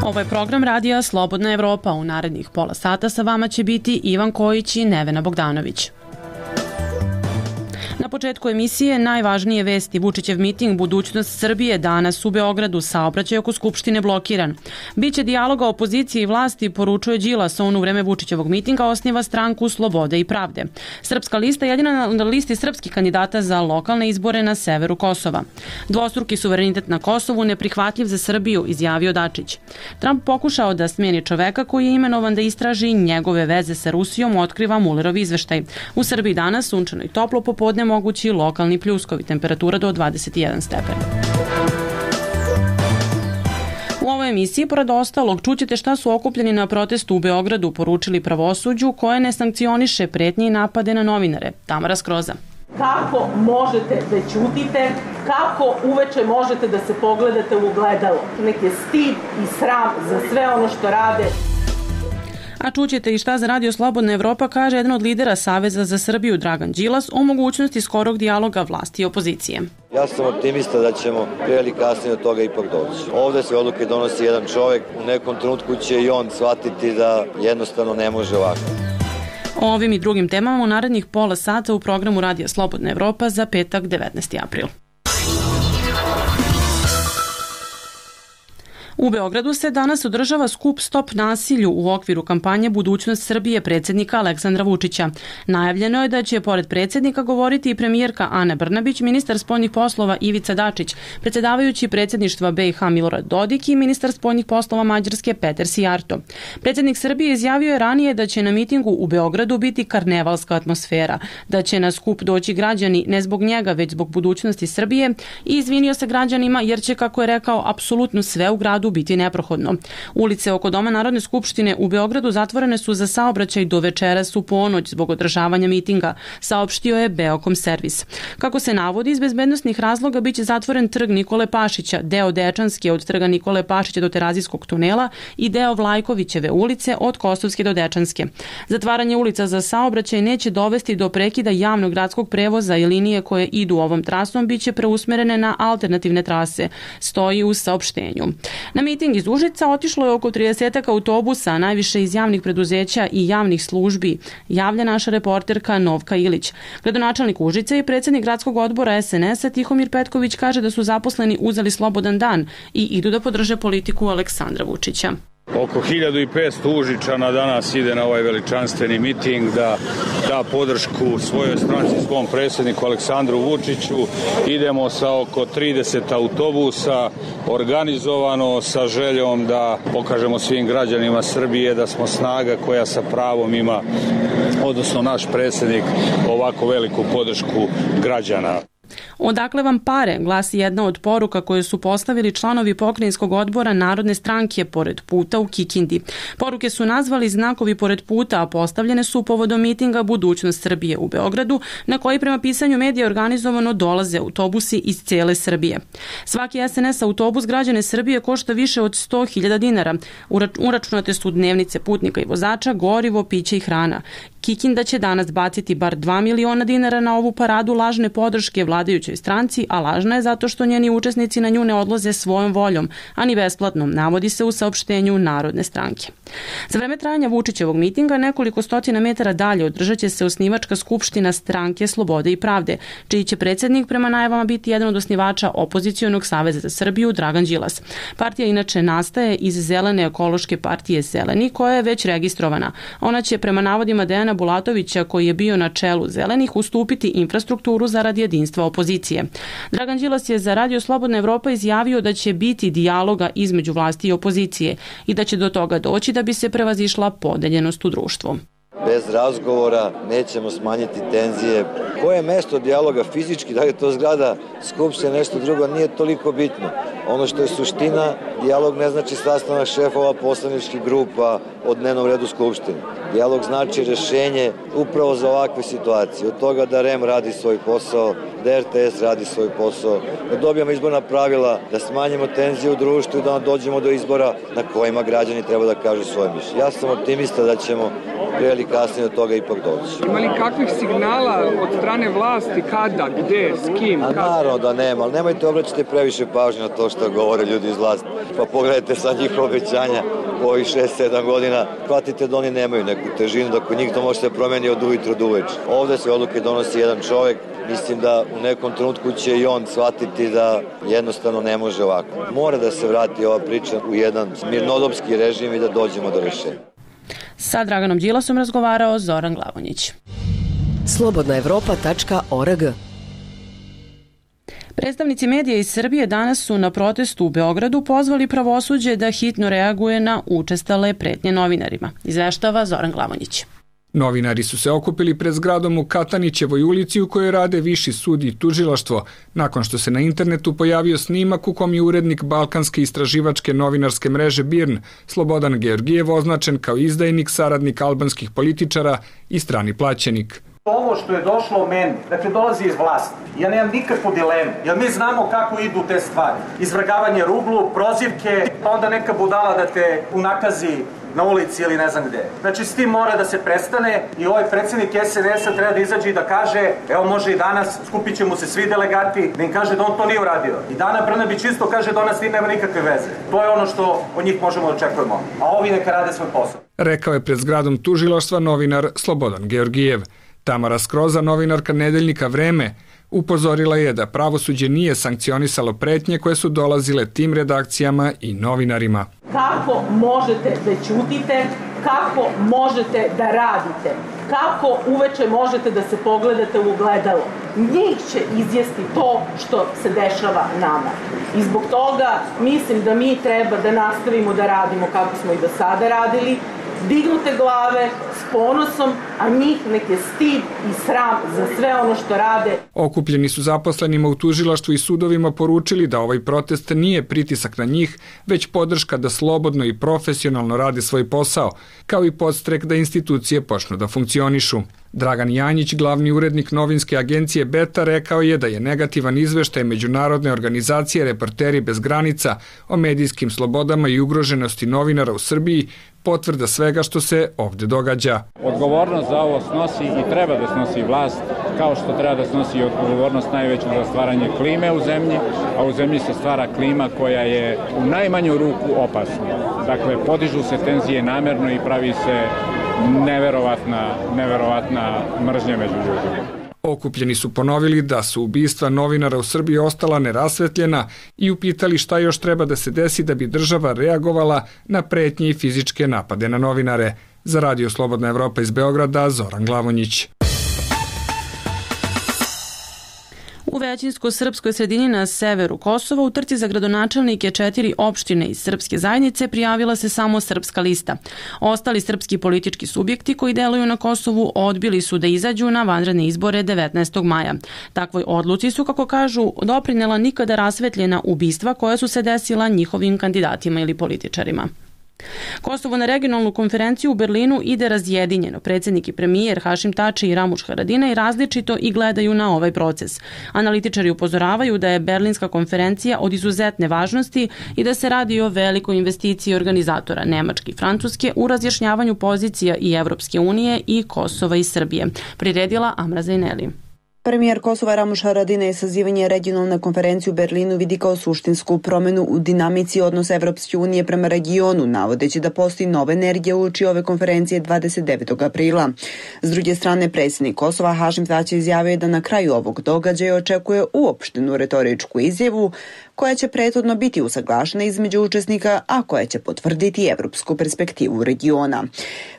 Ovo je program radija Slobodna Evropa. U narednih pola sata sa vama će biti Ivan Kojić i Nevena Bogdanović. Na početku emisije najvažnije vesti. Vučićev miting Budućnost Srbije danas u Beogradu, saobraćaj oko Skupštine blokiran. Biće dijaloga opozicije i vlasti, poručuje Đilas. On u vreme Vučićevog mitinga osniva stranku Slobode i pravde. Srpska lista jedina na listi srpskih kandidata za lokalne izbore na severu Kosova. Dvostruki suverenitet na Kosovu neprihvatljiv za Srbiju, izjavio Dačić. Trump pokušao da smijeni čoveka koji je imenovan da istraži njegove veze sa Rusijom, otkriva Mulerov izveštaj. U Srbiji danas sunčano i toplo, popodne mogući lokalni pljuskovi, temperatura do 21 stepen. U ovoj emisiji, pored ostalog, čućete šta su okupljeni na protestu u Beogradu poručili pravosuđu koje ne sankcioniše pretnje i napade na novinare. Tamara Skroza. Kako možete da ćutite, kako uveče možete da se pogledate u ogledalo. Nek je stid i sram za sve ono što rade. A čućete i šta za Radio Slobodna Evropa kaže jedan od lidera Saveza za Srbiju, Dragan Đilas, o mogućnosti skorog dijaloga vlasti i opozicije. Ja sam optimista da ćemo prije ili kasnije do toga ipak doći. Ovde se odluke donosi jedan čovek, u nekom trenutku će i on shvatiti da jednostavno ne može ovako. O ovim i drugim temama u narednih pola sata u programu Radija Slobodna Evropa za petak 19. april. U Beogradu se danas održava skup Stop nasilju u okviru kampanje Budućnost Srbije predsjednika Aleksandra Vučića. Najavljeno je da će pored predsjednika govoriti i premijerka Ana Brnabić, ministar spoljnih poslova Ivica Dačić, predsjedavajući predsjedništva BiH Milorad Dodik i ministar spoljnih poslova Mađarske Peter Sijarto. Predsjednik Srbije izjavio je ranije da će na mitingu u Beogradu biti karnevalska atmosfera, da će na skup doći građani ne zbog njega, već zbog budućnosti Srbije i izvinio se građanima jer će, kako je rekao, apsolutno sve u gradu biti neprohodno. Ulice oko Doma Narodne skupštine u Beogradu zatvorene su za saobraćaj do večeras u ponoć zbog održavanja mitinga, saopštio je Beokom servis. Kako se navodi, iz bezbednosnih razloga biće zatvoren trg Nikole Pašića, deo Dečanske od trga Nikole Pašića do Terazijskog tunela i deo Vlajkovićeve ulice od Kosovske do Dečanske. Zatvaranje ulica za saobraćaj neće dovesti do prekida javnog gradskog prevoza i linije koje idu ovom trasom biće preusmerene na alternativne trase, stoji u saopštenju. Na miting iz Užica otišlo je oko 30 autobusa, najviše iz javnih preduzeća i javnih službi, javlja naša reporterka Novka Ilić. Gradonačelnik Užica i predsjednik gradskog odbora SNS-a Tihomir Petković kaže da su zaposleni uzeli slobodan dan i idu da podrže politiku Aleksandra Vučića. Oko 1500 Užičana danas ide na ovaj veličanstveni miting da da podršku svojoj stranci, svom predsjedniku Aleksandru Vučiću. Idemo sa oko 30 autobusa, organizovano sa željom da pokažemo svim građanima Srbije da smo snaga koja sa pravom ima, odnosno naš predsjednik, ovako veliku podršku građana. Odakle vam pare, glasi jedna od poruka koje su postavili članovi pokrajinskog odbora Narodne stranke pored puta u Kikindi. Poruke su nazvali znakovi pored puta, a postavljene su povodom mitinga Budućnost Srbije u Beogradu, na koji prema pisanju medija organizovano dolaze autobusi iz cijele Srbije. Svaki SNS autobus građane Srbije košta više od 100.000 dinara. Uračunate su dnevnice putnika i vozača, gorivo, piće i hrana. Kikinda će danas baciti bar 2 miliona dinara na ovu paradu lažne podrške vladajućoj stranci, a lažna je zato što njeni učesnici na nju ne odlaze svojom voljom, a ni besplatnom, navodi se u saopštenju Narodne stranke. Za vreme trajanja Vučićevog mitinga nekoliko stotina metara dalje održat će se osnivačka skupština stranke Slobode i pravde, čiji će predsjednik prema najavama biti jedan od osnivača opozicionog Saveza za Srbiju, Dragan Đilas. Partija inače nastaje iz Zelene ekološke partije Zeleni, koja je već registrovana. Ona će prema navodima Dejana Bulatovića, koji je bio na čelu Zelenih, ustupiti infrastrukturu zarad jedinstva opozicije. Dragan Đilas je za Radio Slobodna Evropa izjavio da će biti dijaloga između vlasti i opozicije i da će do toga doći da bi se prevazišla podeljenost u društvu. Bez razgovora nećemo smanjiti tenzije. Koje je mesto dijaloga fizički, da je to zgrada Skupštine, nešto drugo, nije toliko bitno. Ono što je suština, dijalog ne znači sastanak šefova poslaničkih grupa o dnevnom redu Skupštine. Dijalog znači rešenje upravo za ovakve situacije. Od toga da REM radi svoj posao, da RTS radi svoj posao, da dobijemo izborna pravila, da smanjimo tenzije u društvu i da dođemo do izbora na kojima građani treba da kažu svoje mišljenje. Ja sam optimista da ćemo pre ili kasnije od toga ipak doći. Ima li kakvih signala od strane vlasti, kada, gde, s kim? Naravno da nema, ali nemojte obraćati previše pažnje na to što govore ljudi iz vlasti. Pa pogledajte sad njihove obećanja u ovih 6-7 godina, shvatite da oni nemaju neku težinu, da kod njih to može se promeni od ujutru do uveče. Ovde se odluke donosi jedan čovek, mislim da u nekom trenutku će i on shvatiti da jednostavno ne može ovako. Mora da se vrati ova priča u jedan mirnodopski režim i da dođemo do rešenja. Sa Draganom Đilasom razgovarao Zoran Glavonjić. Slobodnaevropa.org. Predstavnici medija iz Srbije danas su na protestu u Beogradu pozvali pravosuđe da hitno reaguje na učestale pretnje novinarima. Izveštava Zoran Glavonjić. Novinari su se okupili pred zgradom u Katanićevoj ulici u kojoj rade Viši sud i tužilaštvo, nakon što se na internetu pojavio snimak u kom je urednik balkanske istraživačke novinarske mreže BIRN, Slobodan Georgijev, označen kao izdajnik, saradnik albanskih političara i strani plaćenik. Ovo što je došlo meni, dakle dolazi iz vlasti. Ja nemam nikakvu dilemu, jer mi znamo kako idu te stvari. Izvrgavanje ruglu, prozivke, pa onda neka budala da te unakazi na ulici ili ne znam gde. Znači, s tim mora da se prestane i ovaj predsjednik SNS-a treba da izađe i da kaže, evo može i danas, skupit će mu se svi delegati, da im kaže da on to nije uradio. I Dana Brnabić isto kaže da ona s tim nema nikakve veze. To je ono što od njih možemo da očekujemo. A ovi neka rade svoj posao. Rekao je pred zgradom tužilaštva novinar Slobodan Georgijev. Tamara Skroza, novinarka nedeljnika Vreme, upozorila je da pravosuđe nije sankcionisalo pretnje koje su dolazile tim redakcijama i novinarima. Kako možete da ćutite, kako možete da radite, kako uveče možete da se pogledate u ogledalo. Njih će izjesti to što se dešava nama. I zbog toga mislim da mi treba da nastavimo da radimo kako smo i do sada radili, dignute glave, s ponosom, a njih neke stid i sram za sve ono što rade. Okupljeni su zaposlenima u tužilaštvu i sudovima poručili da ovaj protest nije pritisak na njih, već podrška da slobodno i profesionalno rade svoj posao, kao i podstrek da institucije počnu da funkcionišu. Dragan Janjić, glavni urednik novinske agencije Beta, rekao je da je negativan izveštaj međunarodne organizacije Reporteri bez granica o medijskim slobodama i ugroženosti novinara u Srbiji potvrda svega što se ovde događa. Odgovornost za ovo snosi i treba da snosi vlast, kao što treba da snosi odgovornost najveću za stvaranje klime u zemlji, a u zemlji se stvara klima koja je u najmanju ruku opasna. Dakle, podižu se tenzije namerno i pravi se neverovatna mržnja među ljudima. Okupljeni su ponovili da su ubistva novinara u Srbiji ostala nerasvetljena i upitali šta još treba da se desi da bi država reagovala na pretnje i fizičke napade na novinare. Za Radio Slobodna Evropa iz Beograda, Zoran Glavonjić. U većinsko-srpskoj sredini na severu Kosova u trci za gradonačelnike 4 opštine iz srpske zajednice prijavila se samo Srpska lista. Ostali srpski politički subjekti koji deluju na Kosovu odbili su da izađu na vanredne izbore 19. maja. Takvoj odluci su, kako kažu, doprinela nikada rasvetljena ubistva koja su se desila njihovim kandidatima ili političarima. Kosovo na regionalnu konferenciju u Berlinu ide razjedinjeno. Predsjednik i premijer Hašim Tači i Ramuš Haradinaj različito i gledaju na ovaj proces. Analitičari upozoravaju da je Berlinska konferencija od izuzetne važnosti i da se radi o velikoj investiciji organizatora Nemačke i Francuske u razjašnjavanju pozicija i Evropske unije i Kosova i Srbije. Priredila Amra Zajneli. Premijer Kosova Ramuš Haradinaj sazivanje regionalne konferencije u Berlinu vidi kao suštinsku promenu u dinamici odnosa Evropske unije prema regionu, navodeći da postoji nova energija uoči ove konferencije 29. aprila. S druge strane, predsjednik Kosova Hašim Tači izjavio je da na kraju ovog događaja očekuje uopštenu retoričku izjavu koja će prethodno biti usaglašena između učesnika, a koja će potvrditi evropsku perspektivu regiona.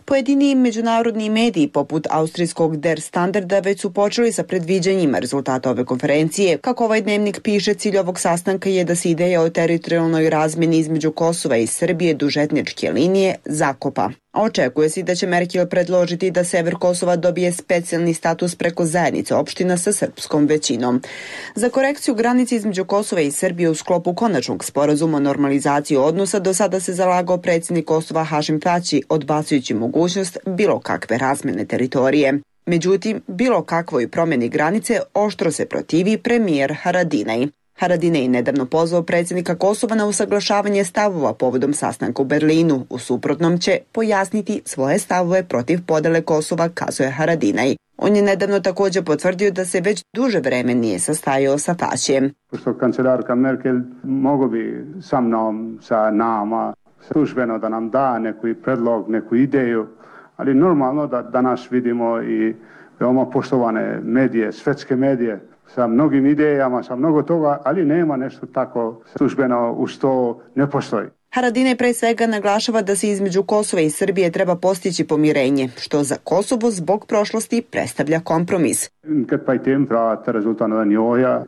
Pojedini međunarodni mediji poput austrijskog Der Standarda već su počeli sa predviđanjima rezultata ove konferencije. Kako ovaj dnevnik piše, cilj ovog sastanka je da se ideja o teritorijalnoj razmjeni između Kosova i Srbije duž etničke linije zakopa. a očekuje se da će Merkel predložiti da sever Kosova dobije specijalni status preko zajednice opština sa srpskom većinom. Za korekciju granice između Kosova i Srbije u sklopu konačnog sporazuma o normalizaciji odnosa do sada se zalagao predsjednik Kosova Hašim Tači, odbacujući mogućnost bilo kakve razmene teritorije. Međutim, bilo kakvoj promjeni granice oštro se protivi premijer Haradinaj. Haradinaj nedavno pozvao predsjednika Kosova na usaglašavanje stavova povodom sastanka u Berlinu. U suprotnom će pojasniti svoje stavove protiv podele Kosova, kazuje Haradinaj. On je nedavno također potvrdio da se već duže vreme nije sastajao sa Tačijem. Pošto kancelarka Merkel mogu bi sa mnom, sa nama, službeno da nam da neki predlog, neku ideju, ali normalno da danas vidimo i veoma poštovane medije, svetske medije, sa mnogim idejama, sa mnogo toga, ali nema nešto tako službeno uz to ne postoji. Haradinaj pre svega naglašava da se između Kosova i Srbije treba postići pomirenje, što za Kosovo zbog prošlosti predstavlja kompromis.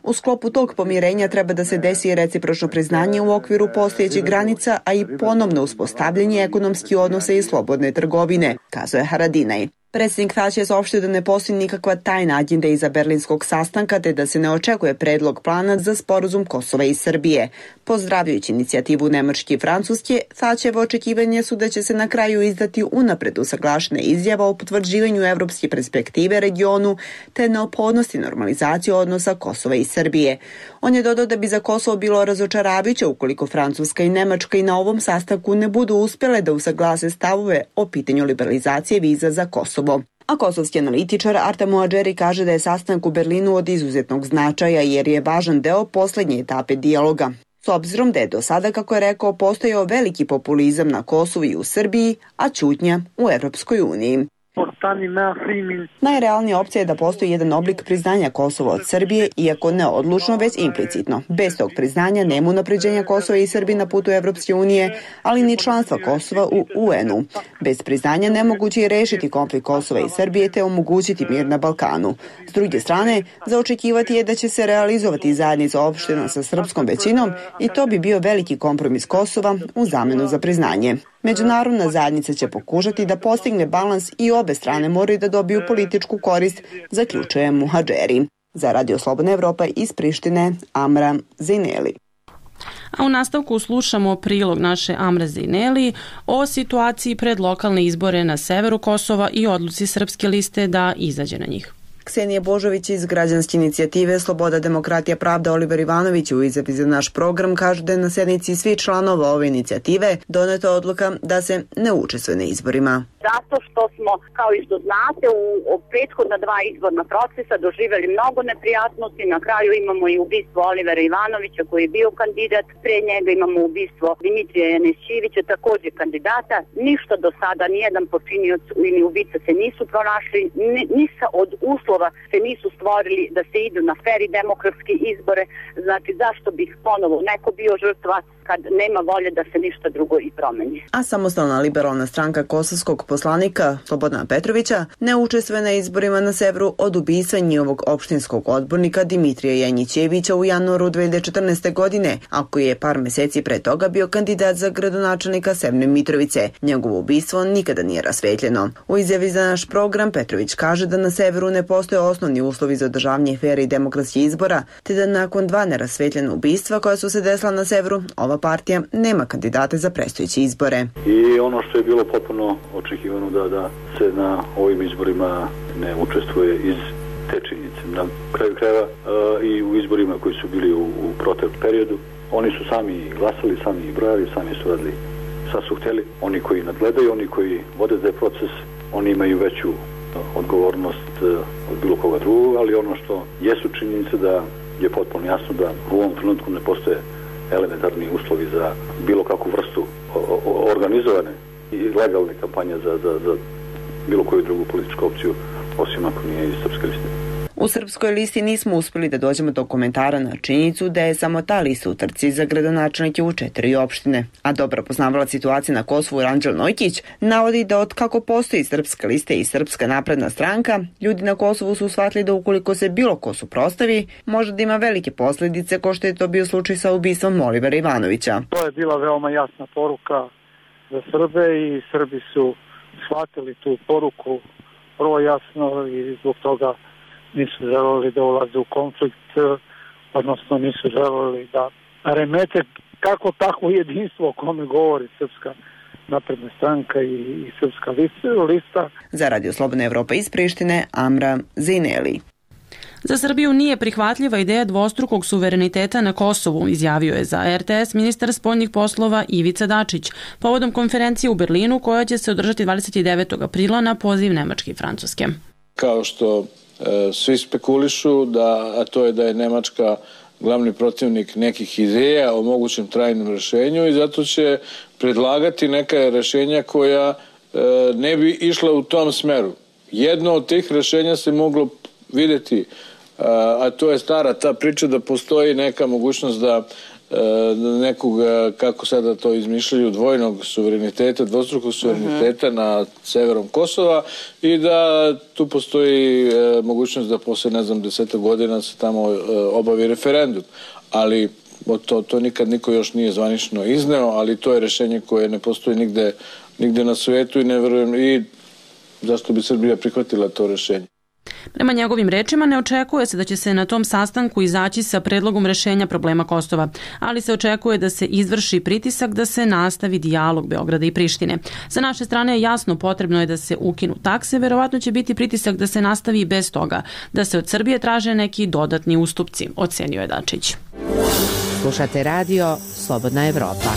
U sklopu tog pomirenja treba da se desi recipročno priznanje u okviru postojećih granica, a i ponovno uspostavljanje ekonomskih odnosa i slobodne trgovine, kazuje Haradinaj. Predsjednik Tači je saopštio da ne postoji nikakva tajna agenda iza berlinskog sastanka, te da se ne očekuje predlog plana za sporazum Kosova i Srbije. Pozdravljajući inicijativu Nemačke i Francuske, Tačevo očekivanje su da će se na kraju izdati unapred usaglašena izjava o potvrđivanju evropske perspektive regionu te neophodnosti normalizacije odnosa Kosova i Srbije. On je dodao da bi za Kosovo bilo razočaravajuće ukoliko Francuska i Nemačka i na ovom sastanku ne budu uspjele da usaglase stavove o pitanju liberalizacije viza za Kosovo. A kosovski analitičar Artem Muadžeri kaže da je sastanak u Berlinu od izuzetnog značaja jer je važan deo poslednje etape dijaloga. S obzirom da je do sada, kako je rekao, postojao veliki populizam na Kosovu i u Srbiji, a ćutnja u Evropskoj uniji. Najrealnija opcija je da postoji jedan oblik priznanja Kosova od Srbije, iako ne odlučno, već implicitno. Bez tog priznanja nema unapređenja Kosova i Srbije na putu Evropske unije, ali ni članstva Kosova u UN-u. Bez priznanja nemoguće je rešiti konflikt Kosova i Srbije te omogućiti mir na Balkanu. S druge strane, za očekivati je da će se realizovati zajednica opština sa srpskom većinom i to bi bio veliki kompromis Kosova u zamenu za priznanje. Međunarodna zajednica će pokušati da postigne balans i obe strane moraju da dobiju političku korist, zaključuje Muhadžeri. Za Radio Slobodna Evropa iz Prištine, Amra Zineli. A u nastavku slušamo prilog naše Amre Zineli o situaciji pred lokalne izbore na severu Kosova i odluci Srpske liste da izađe na njih. Ksenija Božović iz građanske inicijative Sloboda, demokratija, pravda Oliver Ivanović u izjavi za naš program kaže da je na sednici svih članova ove inicijative doneta odluka da se ne učestvuje na izborima. Zato što smo, kao i što znate, u prethodna dva izborna procesa doživjeli mnogo neprijatnosti. Na kraju imamo i ubistvo Olivera Ivanovića koji je bio kandidat. Pre njega imamo ubistvo Dimitrija Janešćivića, također kandidata. Ništa do sada, nijedan počinioc ili ubica se nisu pronašli, ništa od uslova se nisu stvorili da se idu na fer i demokratske izbore. Znači, zašto bih ponovo neko bio žrtva kad nema volje da se ništa drugo i promeni. A samostalna liberalna stranka kosovskog poslanika Slobodana Petrovića ne učestvuje na izborima na severu od ubistva njihovog opštinskog odbornika Dimitrija Janjićevića u januaru 2014. godine, a koji je par meseci pre toga bio kandidat za gradonačelnika Severne Mitrovice. Njegovo ubistvo nikada nije rasvetljeno. U izjavi za naš program Petrović kaže da na severu ne postoje osnovni uslovi za održavanje fer i demokratskih izbora, te da nakon dva nerasvetljena ubistva koja su se desila na severu, ova partija nema kandidate za predstojeće izbore. I ono što je bilo potpuno očekivano da se na ovim izborima ne učestvuje iz te činjenice. Na kraju krajeva i u izborima koji su bili u proteklom periodu, oni su sami glasali, sami brojali, sami su radili šta su htjeli. Oni koji nadgledaju, oni koji vode taj proces, oni imaju veću odgovornost od bilo koga drugog, ali ono što jesu činjenice da je potpuno jasno da u ovom trenutku ne postoje elementarni uslovi za bilo kakvu vrstu organizovane i legalne kampanje za bilo koju drugu političku opciju, osim ako nije iz Srpske liste. U Srpskoj listi nismo uspjeli da dođemo do komentara na činjenicu da je samo ta lista u trci za gradonačelnike u 4 opštine. A dobro poznavala situacije na Kosovu Ranđel Nojkić navodi da od kako postoji Srpska lista i Srpska napredna stranka, ljudi na Kosovu su shvatili da ukoliko se bilo ko suprotstavi, može da ima velike posljedice, kao što je to bio slučaj sa ubistvom Olivera Ivanovića. To je bila veoma jasna poruka za Srbe i Srbi su shvatili tu poruku vrlo jasno i zbog toga nisu želeli da ulaze u konflikt, odnosno nisu želeli da remete kako takvo jedinstvo o kome govori Srpska napredna stranka i Srpska lista. Za Radio Slobodna Evropa iz Prištine, Amra Zineli. Za Srbiju nije prihvatljiva ideja dvostrukog suvereniteta na Kosovu, izjavio je za RTS ministar spoljnih poslova Ivica Dačić, povodom konferencije u Berlinu koja će se održati 29. aprila na poziv Nemačke i Francuske. Kao što svi spekulišu, a to je da je Nemačka glavni protivnik nekih ideja o mogućem trajnom rešenju i zato će predlagati neka rešenja koja ne bi išla u tom smeru. Jedno od tih rešenja se moglo videti, a to je stara ta priča da postoji neka mogućnost da nekog, kako sada to izmišljaju, dvojnog suvereniteta, dvostrukog suvereniteta na severom Kosova i da tu postoji mogućnost da posle, 10 godina se tamo obavi referendum. Ali to nikad niko još nije zvanično izneo, ali to je rešenje koje ne postoji nigde na svetu i ne verujem i zašto bi Srbija prihvatila to rešenje. Prema njegovim rečima ne očekuje se da će se na tom sastanku izaći sa predlogom rešenja problema Kosova, ali se očekuje da se izvrši pritisak da se nastavi dijalog Beograda i Prištine. Sa naše strane je jasno, potrebno je da se ukinu takse, verovatno će biti pritisak da se nastavi bez toga, da se od Srbije traže neki dodatni ustupci, ocenio je Dačić. Slušate radio Slobodna Evropa.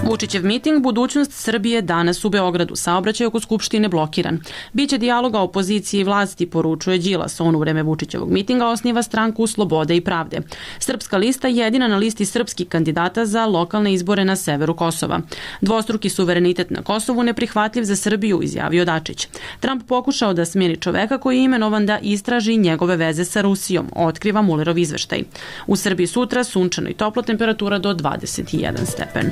Vučićev miting Budućnost Srbije danas u Beogradu. Saobraćaj oko Skupštine blokiran. Biće dijaloga opozicije i vlasti, poručuje Đilas. On u vreme Vučićevog mitinga osniva stranku Slobode i pravde. Srpska lista je jedina na listi srpskih kandidata za lokalne izbore na severu Kosova. Dvostruki suverenitet na Kosovu neprihvatljiv za Srbiju, izjavio Dačić. Trump pokušao da smjeni čoveka koji je imenovan da istraži njegove veze sa Rusijom, otkriva Mulerov izveštaj. U Srbiji sutra sunčano i toplo, temperatura do 21 stepen.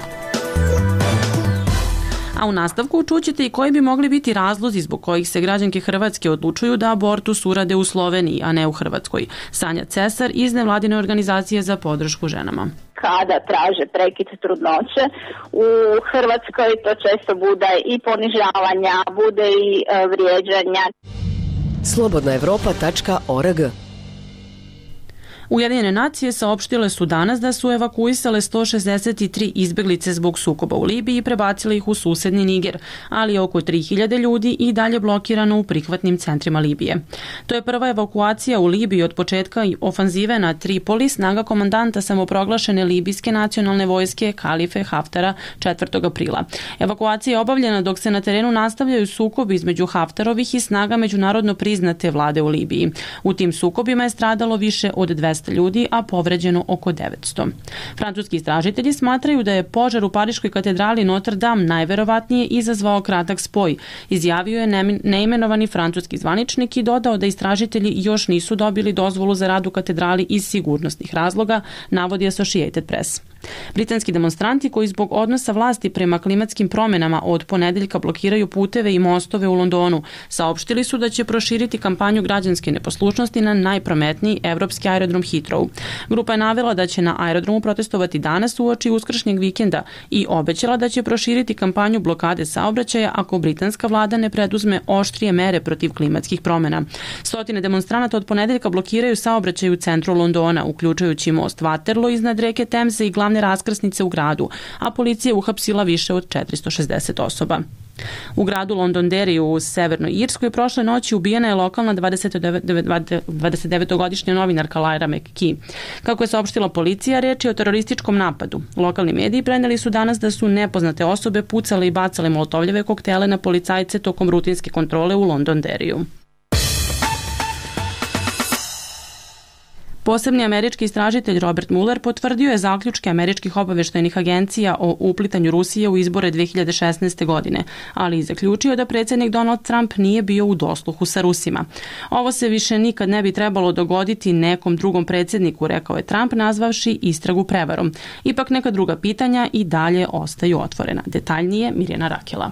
A u nastavku čućete i koji bi mogli biti razlozi zbog kojih se građanke Hrvatske odlučuju da abortus urade u Sloveniji, a ne u Hrvatskoj. Sanja Cesar iz nevladine organizacije za podršku ženama. Kada traže prekid trudnoće, u Hrvatskoj to često bude i ponižavanja, bude i vrijeđanja. slobodnaevropa.org. Ujedinjene nacije saopštile su danas da su evakuisale 163 izbeglice zbog sukoba u Libiji i prebacile ih u susedni Niger, ali je oko 3000 ljudi i dalje blokirano u prihvatnim centrima Libije. To je prva evakuacija u Libiji od početka ofanzive na Tripoli snaga komandanta samoproglašene libijske nacionalne vojske Kalife Haftara 4. aprila. Evakuacija je obavljena dok se na terenu nastavljaju sukobi između Haftarovih i snaga međunarodno priznate vlade u Libiji. U tim sukobima je stradalo više od 200 ljudi, a povređeno oko 900. Francuski istražitelji smatraju da je požar u Pariškoj katedrali Notre Dame najverovatnije izazvao kratak spoj. Izjavio je neimenovani francuski zvaničnik i dodao da istražitelji još nisu dobili dozvolu za rad u katedrali iz sigurnosnih razloga, navodi Associated Press. Britanski demonstranti koji zbog odnosa vlasti prema klimatskim promjenama od ponedeljka blokiraju puteve i mostove u Londonu saopštili su da će proširiti kampanju građanske neposlušnosti na najprometniji evropski aerodrom Heathrow. Grupa je navela da će na aerodromu protestovati danas uoči uskršnjeg vikenda i obećala da će proširiti kampanju blokade saobraćaja ako britanska vlada ne preduzme oštrije mere protiv klimatskih promjena. Stotine demonstranata od ponedeljka blokiraju saobraćaj u centru Londona, uključujući most Waterloo iznad reke Temze i glavne raskrsnice u gradu, a policija je uhapsila više od 460 osoba. U gradu Londonderry u Severnoj Irskoj prošle noći ubijena je lokalna 29-godišnja novinarka Lyra McKee. Kako je saopštila policija, reč je o terorističkom napadu. Lokalni mediji preneli su danas da su nepoznate osobe pucale i bacale molotovljeve koktele na policajce tokom rutinske kontrole u Londonderryu. Posebni američki istražitelj Robert Mueller potvrdio je zaključke američkih obaveštajnih agencija o uplitanju Rusije u izbore 2016. godine, ali i zaključio da predsjednik Donald Trump nije bio u dosluhu sa Rusima. Ovo se više nikad ne bi trebalo dogoditi nekom drugom predsjedniku, rekao je Trump, nazvavši istragu prevarom. Ipak neka druga pitanja i dalje ostaju otvorena. Detaljnije Mirjana Rakela.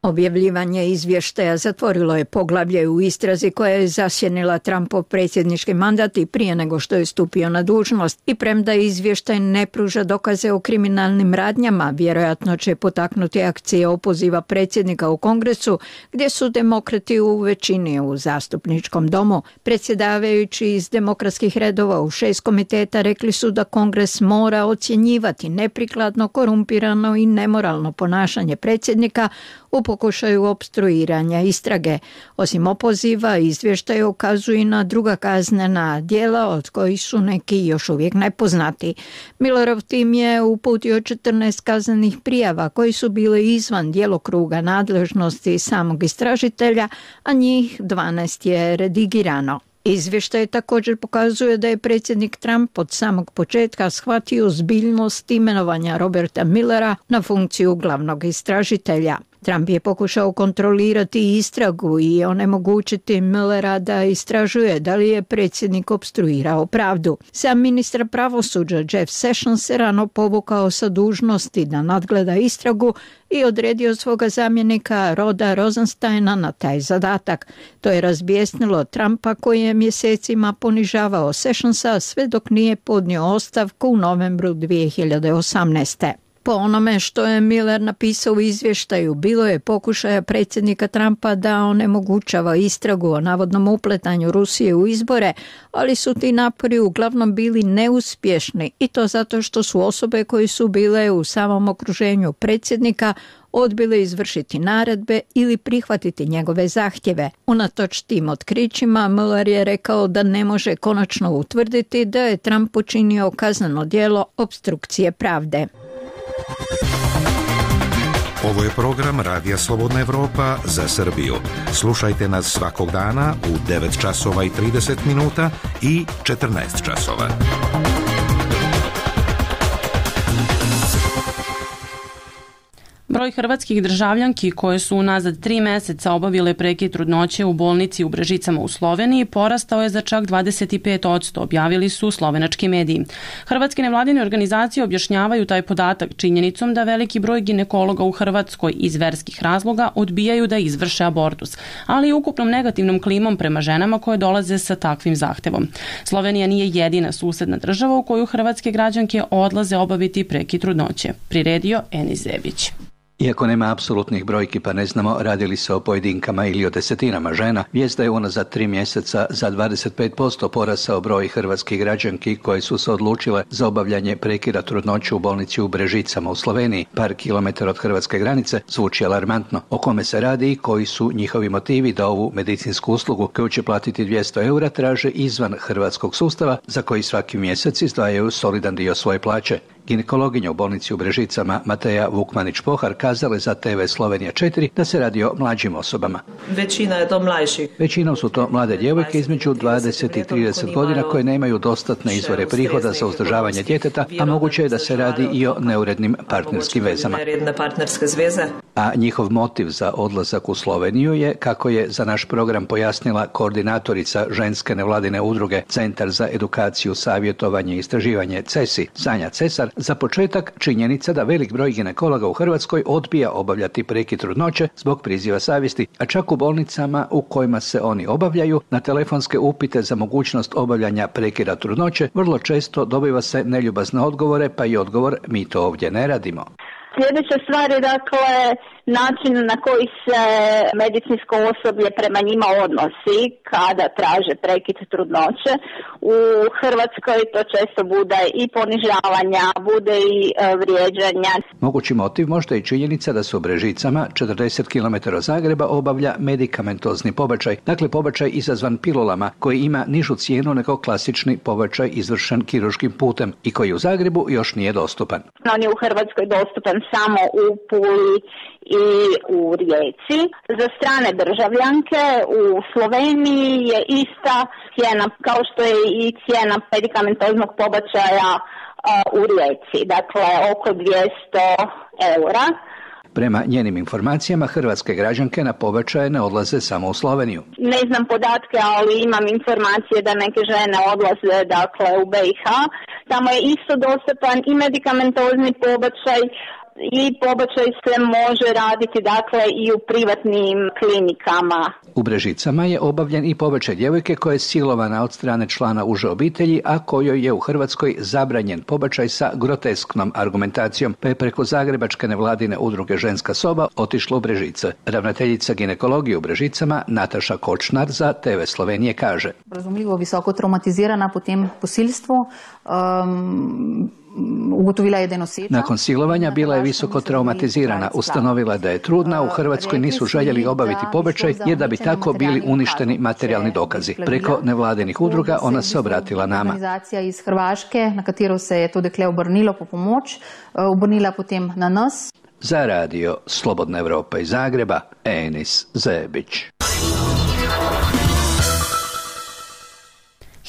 Objavljivanje izvještaja zatvorilo je poglavlje u istrazi koja je zasjenila Trumpov predsjednički mandat i prije nego što je stupio na dužnost i premda izvještaj ne pruža dokaze o kriminalnim radnjama, vjerojatno će potaknuti akcije opoziva predsjednika u Kongresu gdje su demokrati u većini u zastupničkom domu. Predsjedavajući iz demokratskih redova u 6 komiteta rekli su da Kongres mora ocjenjivati neprikladno, korumpirano i nemoralno ponašanje predsjednika u pokušaju opstruiranja istrage. Osim opoziva, izvještaj ukazuje na druga kaznena djela od kojih su neki još uvijek nepoznati. Millerov tim je uputio 14 kaznenih prijava koji su bile izvan djelokruga nadležnosti samog istražitelja, a njih 12 je redigirano. Izvještaj također pokazuje da je predsjednik Trump od samog početka shvatio ozbiljnost imenovanja Roberta Millera na funkciju glavnog istražitelja. Trump je pokušao kontrolirati istragu i onemogućiti Millera da istražuje da li je predsjednik opstruirao pravdu. Sam ministar pravosuđa Jeff Sessions se rano povukao sa dužnosti da nadgleda istragu i odredio svoga zamjenika Roda Rosensteina na taj zadatak. To je razbijesnilo Trumpa koji je mjesecima ponižavao Sessionsa sve dok nije podnio ostavku u novembru 2018. Po onome što je Miller napisao u izvještaju, bilo je pokušaja predsjednika Trumpa da onemogućava istragu o navodnom upletanju Rusije u izbore, ali su ti napori uglavnom bili neuspješni i to zato što su osobe koje su bile u samom okruženju predsjednika odbile izvršiti naredbe ili prihvatiti njegove zahtjeve. Unatoč tim otkrićima, Mueller je rekao da ne može konačno utvrditi da je Trump počinio kazneno djelo opstrukcije pravde. Ovo je program Radija Slobodna Evropa za Srbiju. Slušajte nas svakog dana u 9 časova i 30 minuta i 14 časova. Broj hrvatskih državljanki koje su unazad 3 meseca obavile prekid trudnoće u bolnici u Brežicama u Sloveniji porastao je za čak 25%, objavili su slovenački mediji. Hrvatske nevladine organizacije objašnjavaju taj podatak činjenicom da veliki broj ginekologa u Hrvatskoj iz verskih razloga odbijaju da izvrše abortus, ali i ukupnom negativnom klimom prema ženama koje dolaze sa takvim zahtevom. Slovenija nije jedina susedna država u koju hrvatske građanke odlaze obaviti prekid trudnoće, priredio Enis Zebić. Iako nema apsolutnih brojki pa ne znamo radi li se o pojedinkama ili o desetinama žena, vijest da je unazad 3 mjeseca za 25% porasao broj hrvatskih građanki koje su se odlučile za obavljanje prekida trudnoće u bolnici u Brežicama u Sloveniji, par kilometara od hrvatske granice, zvuči alarmantno. O kome se radi i koji su njihovi motivi da ovu medicinsku uslugu koju će platiti 200 eura traže izvan hrvatskog sustava za koji svaki mjesec izdvajaju solidan dio svoje plaće. Ginekologinja u bolnici u Brežicama Mateja Vukmanić-Pohar kazala je za TV Slovenija 4 da se radi o mlađim osobama. Većina je to mlađih. Većinom su to mlade djevojke između 20 i 30 godina koje nemaju dostatne izvore prihoda za uzdržavanje djeteta, a moguće je da se radi i o neurednim partnerskim vezama. A njihov motiv za odlazak u Sloveniju je, kako je za naš program pojasnila koordinatorica ženske nevladine udruge Centar za edukaciju, savjetovanje i istraživanje CESI, Sanja Cesar, za početak činjenica da velik broj ginekologa u Hrvatskoj odbija obavljati prekid trudnoće zbog priziva savjesti, a čak u bolnicama u kojima se oni obavljaju, na telefonske upite za mogućnost obavljanja prekida trudnoće vrlo često dobiva se neljubazne odgovore, pa i odgovor mi to ovdje ne radimo. Sljedeća stvar je dakle način na koji se medicinsko osoblje prema njima odnosi kada traže prekid trudnoće. U Hrvatskoj to često bude i ponižavanja, bude i vrijeđanja. Mogući motiv možda i činjenica da se u Brežicama 40 km od Zagreba obavlja medikamentozni pobačaj, dakle pobačaj izazvan pilulama koji ima nižu cijenu nego klasični pobačaj izvršen kirurškim putem i koji u Zagrebu još nije dostupan. On je u Hrvatskoj dostupan samo u Puli i u Rijeci. Za strane državljanke u Sloveniji je ista cijena kao što je i cijena medikamentoznog pobačaja u Rijeci, dakle oko 200 eura. Prema njenim informacijama, hrvatske građanke na pobačaje ne odlaze samo u Sloveniju. Ne znam podatke, ali imam informacije da neke žene odlaze dakle u BiH. Tamo je isto dostupan i medikamentozni pobačaj i pobačaj se može raditi dakle i u privatnim klinikama. U Brežicama je obavljen i pobačaj djevojke koja je silovana od strane člana uže obitelji, a kojoj je u Hrvatskoj zabranjen pobačaj sa grotesknom argumentacijom, pa je preko zagrebačke nevladine udruge Ženska soba otišla u Brežice. Ravnateljica ginekologije u Brežicama Nataša Kočnar za TV Slovenije kaže: Razumljivo visoko traumatizirana po tem posilstvu, ugotovila je da je noseča. Nakon silovanja bila je visoko traumatizirana, ustanovila da je trudna, u Hrvatskoj nisu željeli obaviti pobačaj jer da bi tako bili uništeni materijalni dokazi. Preko nevladinih udruga ona se obratila nama. Organizacija iz Hrvaške, na katero se je to dekle obrnilo po pomoč, obrnila potem na nas. Za radio Slobodna Evropa iz Zagreba, Enis Zebić.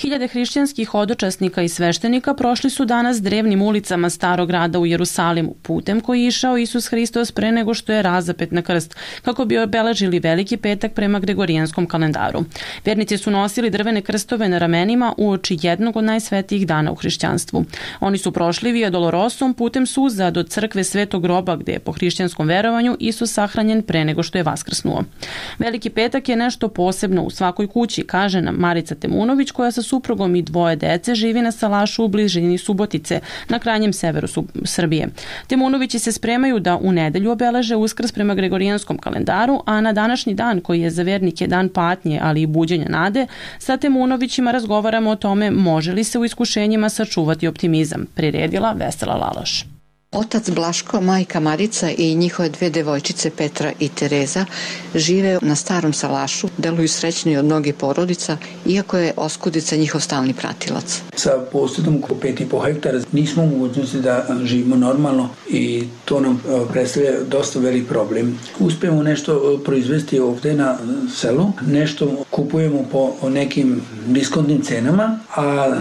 Hiljade hrišćanskih hodočasnika i sveštenika prošli su danas drevnim ulicama Starog grada u Jerusalimu, putem koji je išao Isus Hristos pre nego što je razapet na krst, kako bi obeležili Veliki petak prema Gregorijanskom kalendaru. Vernici su nosili drvene krstove na ramenima uoči jednog od najsvetijih dana u hrišćanstvu. Oni su prošli Via Dolorosom putem suza do crkve Svetog groba, gde je po hrišćanskom verovanju Isus sahranjen pre nego što je vaskrsnuo. Veliki petak je nešto posebno u svakoj kući, kaže nam Marica Temunović, koja sa suprugom i dvoje dece živi na salašu u bližini Subotice, na krajnjem severu Srbije. Temunovići se spremaju da u nedelju obeleže Uskrs prema Gregorijanskom kalendaru, a na današnji dan, koji je za vernike dan patnje, ali i buđenja nade, sa Temunovićima razgovaramo o tome može li se u iskušenjima sačuvati optimizam, priredila Vesela Laloš. Otac Blaško, majka Marica i njihove dve devojčice Petra i Tereza žive na starom salašu, deluju srećni od mnogih porodica, iako je oskudica njihov stalni pratilac. Sa posjedom oko 5,5 hektara nismo u mogućnosti da živimo normalno i to nam predstavlja dosta velik problem. Uspijemo nešto proizvesti ovdje na selu, nešto kupujemo po nekim diskontnim cenama, a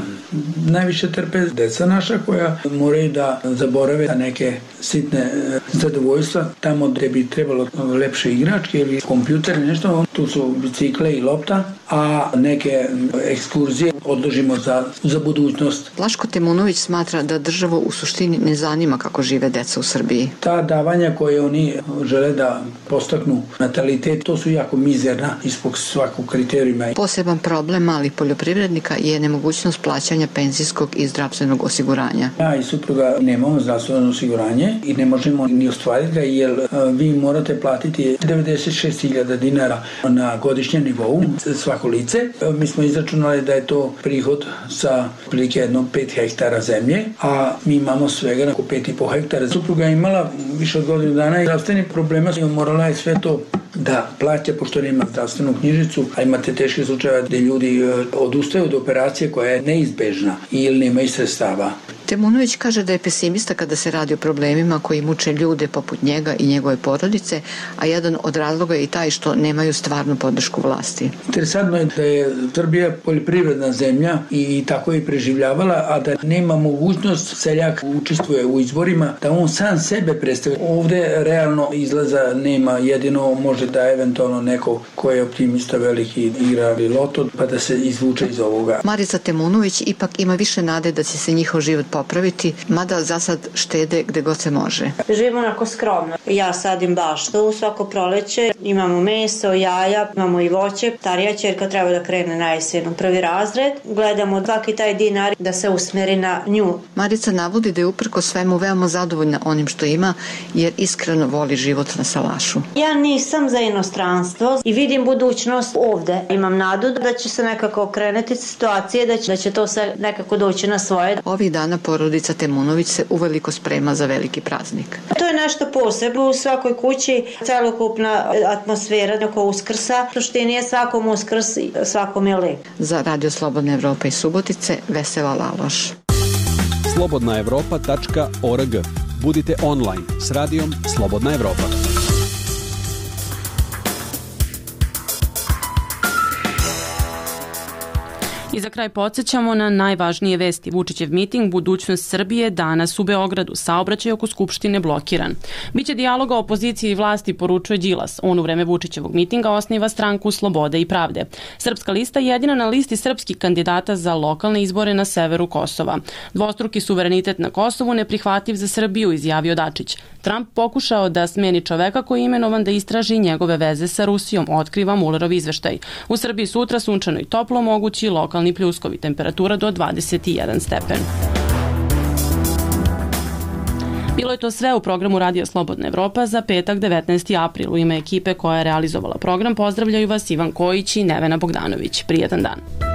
najviše trpe deca naša koja moraju da zaborave neke sitne zadovoljstva tamo gde bi trebalo lepše igračke ili kompjuter ili nešto, tu su bicikle i lopta, a neke ekskurzije odložimo za budućnost. Blaško Temunović smatra da državu u suštini ne zanima kako žive deca u Srbiji. Ta davanja koje oni žele da postaknu natalitet, to su jako mizerna ispod svakog kriterijuma. Poseban problem malih poljoprivrednika je nemogućnost plaćanja penzijskog i zdravstvenog osiguranja. Ja i supruga nemamo zdravstveno osiguranje i ne možemo ni ostvariti ga jer vi morate platiti 96.000 dinara na godišnjem nivou svako lice. Mi smo izračunali da je to prihod sa prilike jedno 5 hektara zemlje, a mi imamo svega oko 5,5 hektara. Supruga je imala više od godinu dana i zdravstveni problema, morala je sve to da plaća pošto nema zdravstvenu knjižicu, a imate teške slučajeve gde ljudi odustaju od operacije koja je neizbežna ili nemaju sredstava. Temunović kaže da je pesimista kada se radi o problemima koji muče ljude poput njega i njegove porodice, a jedan od razloga je i taj što nemaju stvarnu podršku vlasti. Interesantno je da je Srbija poljoprivredna zemlja i tako je preživljavala, a da nema mogućnost seljak učestvuje u izborima, da on sam sebe predstavlja. Ovde realno izlaza nema, jedino može da eventualno neko ko je optimista veliki igra loto pa da se izvuče iz ovoga. Marica Temunović ipak ima više nade da će se njihov život popraviti, mada za sad štede gde god se može. Živimo onako skromno. Ja sadim baštu svako proleće, imamo meso, jaja, imamo i voće. Starija ćerka treba da krene na jesen u prvi razred. Gledamo svaki taj dinar da se usmeri na nju. Marica navodi da je uprko svemu veoma zadovoljna onim što ima, jer iskreno voli život na salašu. Ja nisam za inostranstvo i vidim budućnost ovde. Imam nadu da će se nekako okrenuti situacije, da će to sve nekako doći na svoje. Ovih dana porodica Temunović se uveliko sprema za veliki praznik. To je nešto posebno u svakoj kući, celokupna atmosfera oko Uskrsa. U suštini je svakom Uskrs, svakom je lep. Za Radio Slobodna Evropa iz Subotice, Vesela Laloš. slobodnaevropa.org. Budite online s radijom Slobodna Evropa. I za kraj podsjećamo na najvažnije vesti. Vučićev miting Budućnost Srbije danas u Beogradu. Saobraćaj oko Skupštine blokiran. Biće dijaloga opozicije i vlasti, poručuje Đilas. On u vreme Vučićevog mitinga osniva stranku Slobode i pravde. Srpska lista je jedina na listi srpskih kandidata za lokalne izbore na severu Kosova. Dvostruki suverenitet na Kosovu neprihvatljiv za Srbiju, izjavio Dačić. Trump pokušao da smeni čoveka koji je imenovan da istraži njegove veze sa Rusijom, otkriva Mulerov izveštaj. U Srbiji sutra sunčano i toplo, mogući lokalni pljuskovi, temperatura do 21 stepen. Bilo je to sve u programu Radija Slobodna Evropa za petak 19. april. U ime ekipe koja je realizovala program pozdravljaju vas Ivan Kojić i Nevena Bogdanović. Prijetan dan.